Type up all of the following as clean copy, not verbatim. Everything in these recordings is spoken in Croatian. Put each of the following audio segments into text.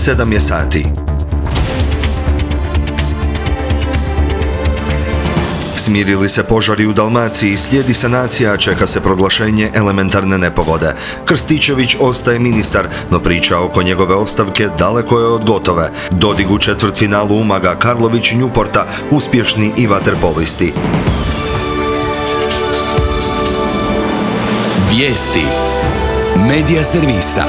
7 je sati. Smirili se požari u Dalmaciji, slijedi sanacija, čeka se proglašenje elementarne nepogode. Krstičević ostaje ministar, no priča oko njegove ostavke daleko je od gotove. Dodig u četvrtfinalu Umaga, Karlović Newporta, uspješni i vaterpolisti. Vijesti Medija servisa.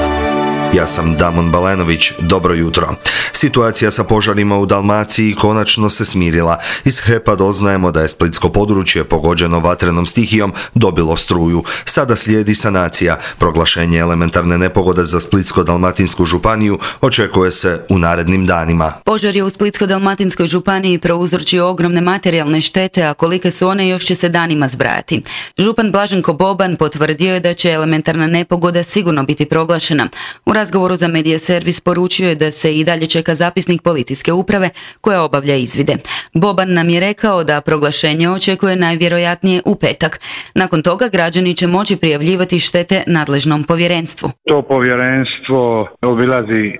Ja sam Damon Balenović, dobro jutro. Situacija sa požarima u Dalmaciji konačno se smirila. Iz HEP-a doznajemo da je splitsko područje pogođeno vatrenom stihijom dobilo struju. Sada slijedi sanacija. Proglašenje elementarne nepogode za Splitsko-dalmatinsku županiju očekuje se u narednim danima. Požar je u Splitsko-dalmatinskoj županiji prouzročio ogromne materijalne štete, a kolike su one još će se danima zbrajati. Župan Blaženko Boban potvrdio je da će elementarna nepogoda sigurno biti proglašena. U razgovoru za Medija servis poručio je da se i dalje čeka zapisnik policijske uprave koja obavlja izvide. Boban nam je rekao da proglašenje očekuje najvjerojatnije u petak. Nakon toga građani će moći prijavljivati štete nadležnom povjerenstvu. To povjerenstvo obilazi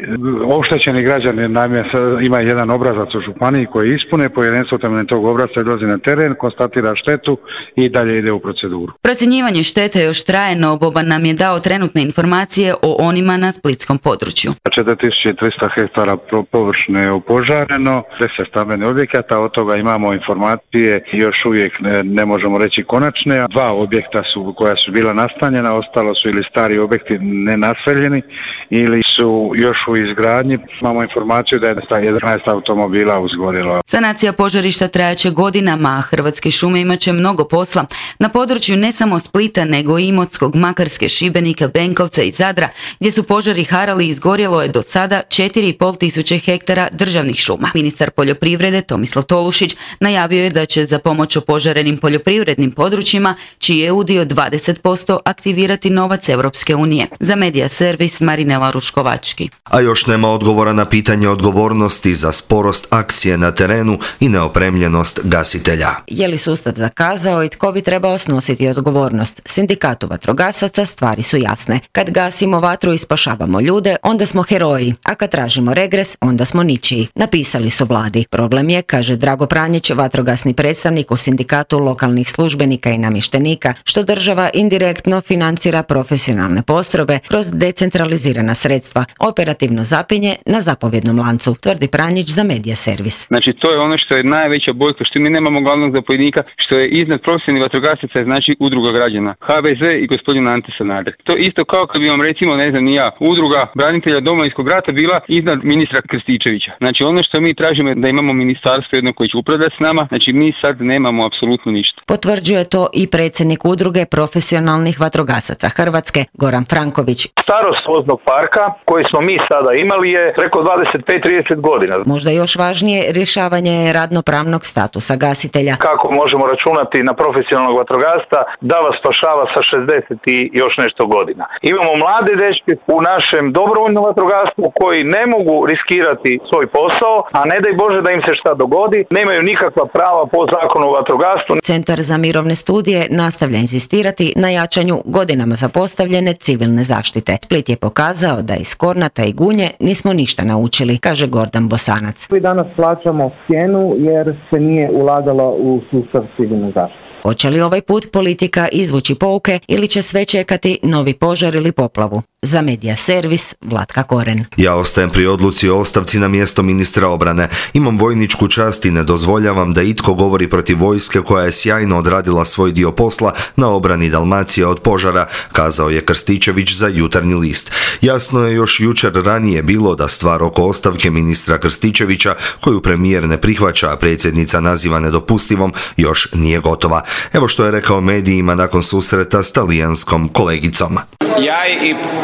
oštećeni građani, naime ima jedan obrazac u županiji koji ispune, povjerenstvo temeljem tog obrasca odlazi na teren, konstatira štetu i dalje ide u proceduru. Procjenjivanje štete još traje, no Boban nam je dao trenutne informacije o onima na splitskom području. 4300 hektara površine je opožareno, 10 stambenih objekata, od toga imamo informacije, još uvijek ne možemo reći konačne. 2 objekta su koja su bila nastanjena, ostalo su ili stari objekti nenaseljeni ili su još u izgradnji. Imamo informaciju da je 11 automobila uzgorilo. Sanacija požarišta trajaće godinama, a Hrvatske šume imat će mnogo posla. Na području ne samo Splita, nego i Imotskog, Makarske, Šibenika, Benkovca i Zadra, gdje su požari harali, izgorjelo je do sada 4.500 hektara državnih šuma. Ministar poljoprivrede Tomislav Tolušić najavio je da će za pomoć opožarenim poljoprivrednim područjima, čiji je udio 20%, aktivirati novac Europske unije. Za Medija servis Marinela Ruškovački. A još nema odgovora na pitanje odgovornosti za sporost akcije na terenu i neopremljenost gasitelja. Je li sustav zakazao i tko bi trebao snositi odgovornost? Sindikatu vatrogasaca stvari su jasne. Kad gasimo vatru i spašavamo ljude, onda smo heroji, a kad tražimo regres, onda smo ničiji. Napisali su vladi. Problem je, kaže Drago Pranjić, vatrogasni predstavnik u Sindikatu lokalnih službenika i namještenika, što država indirektno financira profesionalne postrojbe kroz decentralizirana sredstva, operativno zapinje na zapovjednom lancu, tvrdi Pranjić za Medija servis. Znači, to je ono što je najveća boljka, što mi nemamo glavnog zapovjednika, što je iznad profesionalnih vatrogasaca, znači udruga građana, HVZ i gospodin Ante Sanader. To je isto kao kad bi vam recimo, ne znam ni ja, udruga branitelja Domovinskog rata bila iznad ministra Krstičevića. Znači, ono što mi tražimo je da imamo ministarstvo jedno koje će upravljati s nama, znači mi sad nemamo apsolutno ništa. Potvrđuje to i predsjednik udruge profesionalnih vatrogasaca Hrvatske, Goran Franković. Starost voznog parka koji smo mi sada imali je preko 25-30 godina. Možda još važnije, rješavanje radnopravnog statusa gasitelja. Kako možemo računati na profesionalnog vatrogasca da vas spašava sa 60 i još nešto godina. Imamo mlade dečke u našem dobrovoljnom vatrogastvu koji ne mogu riskirati svoj posao, a ne daj Bože da im se šta dogodi, nemaju nikakva prava po zakonu o vatrogastvu. Centar za mirovne studije nastavlja insistirati na jačanju godinama zapostavljene civilne zaštite. Split je pokazao da iz Kornata i Gunje nismo ništa naučili, kaže Gordan Bosanac. Mi danas plaćamo cijenu jer se nije ulagalo u sustav civilne zaštite. Hoće li ovaj put politika izvući pouke ili će sve čekati novi požar ili poplavu? Za Medija servis Vlatka Koren. Ja ostajem pri odluci o ostavci na mjesto ministra obrane. Imam vojničku čast i ne dozvoljavam da itko govori protiv vojske koja je sjajno odradila svoj dio posla na obrani Dalmacije od požara, kazao je Krstičević za Jutarnji list. Jasno je još jučer ranije bilo da stvar oko ostavke ministra Krstičevića, koju premijer ne prihvaća, a predsjednica naziva nedopustivom, još nije gotova. Evo što je rekao medijima nakon susreta s talijanskom kolegicom.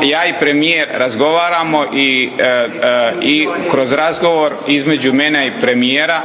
Ja i premijer razgovaramo i kroz razgovor između mene i premijera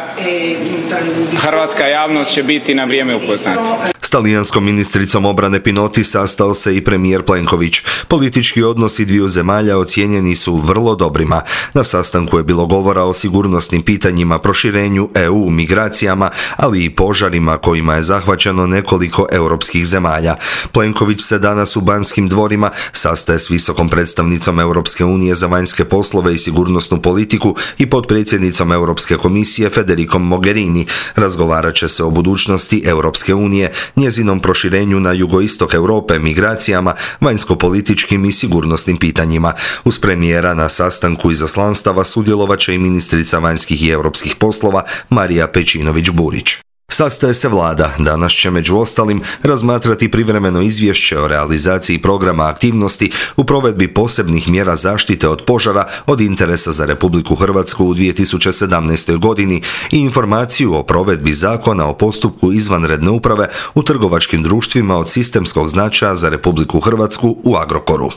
hrvatska javnost će biti na vrijeme upoznata. S talijanskom ministricom obrane Pinotti sastao se i premijer Plenković. Politički odnosi dviju zemalja ocijenjeni su vrlo dobrima. Na sastanku je bilo govora o sigurnosnim pitanjima, proširenju EU, migracijama, ali i požarima kojima je zahvaćeno nekoliko europskih zemalja. Plenković se danas u Banskim dvorima sastaje s visokom predstavnicom Europske unije za vanjske poslove i sigurnosnu politiku i potpredsjednicom Europske komisije Federicom Mogherini. Razgovarat će se o budućnosti Europske unije, njezinom proširenju na jugoistok Europe, migracijama, vanjsko-političkim i sigurnosnim pitanjima. Uz premijera na sastanku izaslanstava sudjelovat će i ministrica vanjskih i europskih poslova Marija Pejčinović-Burić. Sastaje se vlada. Danas će među ostalim razmatrati privremeno izvješće o realizaciji programa aktivnosti u provedbi posebnih mjera zaštite od požara od interesa za Republiku Hrvatsku u 2017. godini i informaciju o provedbi zakona o postupku izvanredne uprave u trgovačkim društvima od sistemskog značaja za Republiku Hrvatsku u Agrokoru.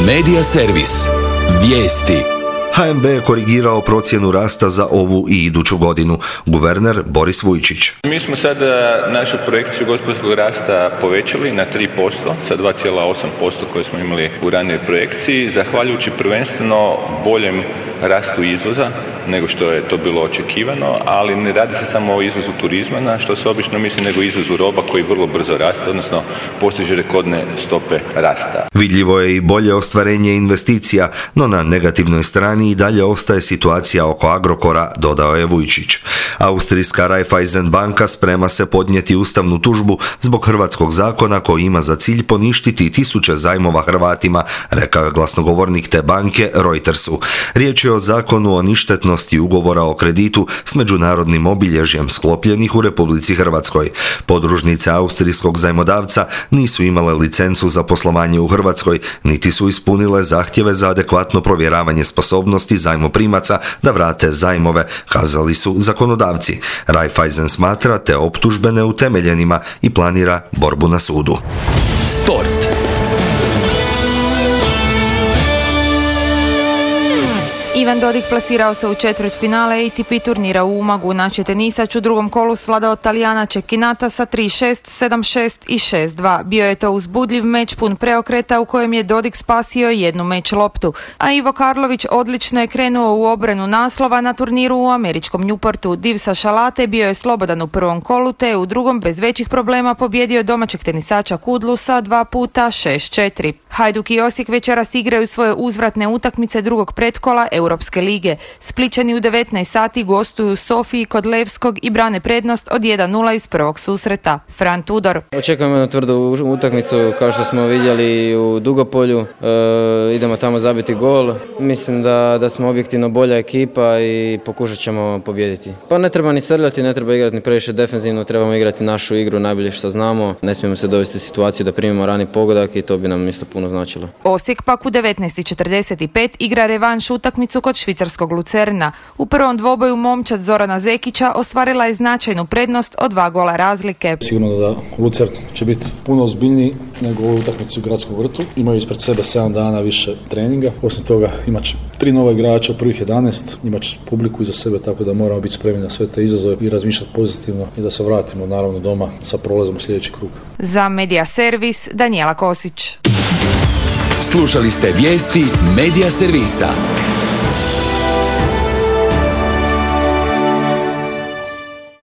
Medija servis. Vijesti. HNB je korigirao procjenu rasta za ovu i iduću godinu. Guverner Boris Vujčić. Mi smo sada našu projekciju gospodarskog rasta povećali na 3% sa 2,8% koje smo imali u ranijoj projekciji, zahvaljujući prvenstveno boljem rastu izvoza nego što je to bilo očekivano, ali ne radi se samo o izvozu turizma, na što se obično misli, nego izvozu roba koji vrlo brzo raste, odnosno postiže rekordne stope rasta. Vidljivo je i bolje ostvarenje investicija, no na negativnoj strani i dalje ostaje situacija oko Agrokora, dodao je Vujčić. Austrijska Raiffeisen banka sprema se podnijeti ustavnu tužbu zbog hrvatskog zakona koji ima za cilj poništiti tisuće zajmova Hrvatima, rekao je glasnogovornik te banke Reutersu. Riječ je o zakonu o ništetnosti ugovora o kreditu s međunarodnim obilježjem sklopljenih u Republici Hrvatskoj. Podružnice austrijskog zajmodavca nisu imale licencu za poslovanje u Hrvatskoj, niti su ispunile zahtjeve za adekvatno provjeravanje sposobnosti zajmoprimaca da vrate zajmove, kazali su zakonodavci. Raiffeisen smatra te optužbe neutemeljenima i planira borbu na sudu. Sport. Ivan Dodig plasirao se u četvrtfinale ATP turnira u Umagu. Naš je tenisač u drugom kolu svladao Talijana Cecchinata sa 3-6, 7-6 i 6-2. Bio je to uzbudljiv meč pun preokreta u kojem je Dodig spasio jednu meč loptu. A Ivo Karlović odlično je krenuo u obranu naslova na turniru u američkom Newportu. Div sa Šalate bio je slobodan u prvom kolu, te u drugom bez većih problema pobjedio domaćeg tenisača Kudlu sa 2 puta 6-4. Hajduk i Osijek večeras igraju svoje uzvratne utakmice drugog pretkola Europske lige. Splićani u 19 sati gostuju u Sofiji kod Levskog i brane prednost od 1-0 iz prvog susreta. Fran Tudor. Očekujemo jednu tvrdu utakmicu kao što smo vidjeli u Dugopolju. Idemo tamo zabiti gol. Mislim da smo objektivno bolja ekipa i pokušat ćemo pobijediti. Pa ne treba ni srljati, ne treba igrati ni previše defenzivno, trebamo igrati našu igru najbolje što znamo. Ne smijemo se dovesti u situaciju da primimo rani pogodak i to bi nam isto puno značilo. Osijek pak u 19:45 igra revanš utakmicu kod švicarskog Lucerna. U prvom dvoboju momčad Zorana Zekića ostvarila je značajnu prednost od 2 gola razlike. Sigurno da Lucern će biti puno ozbiljniji nego u utakmici u Gradskom vrtu. Imaju ispred sebe 7 dana više treninga. Osim toga imat će 3 nova igrača u prvih 11. Imat će publiku iza sebe, tako da moramo biti spremni na sve te izazove i razmišljati pozitivno i da se vratimo naravno doma sa prolazom u sljedeći krug. Za Medija servis Danijela Kosić. Slušali ste vijesti Medija servisa.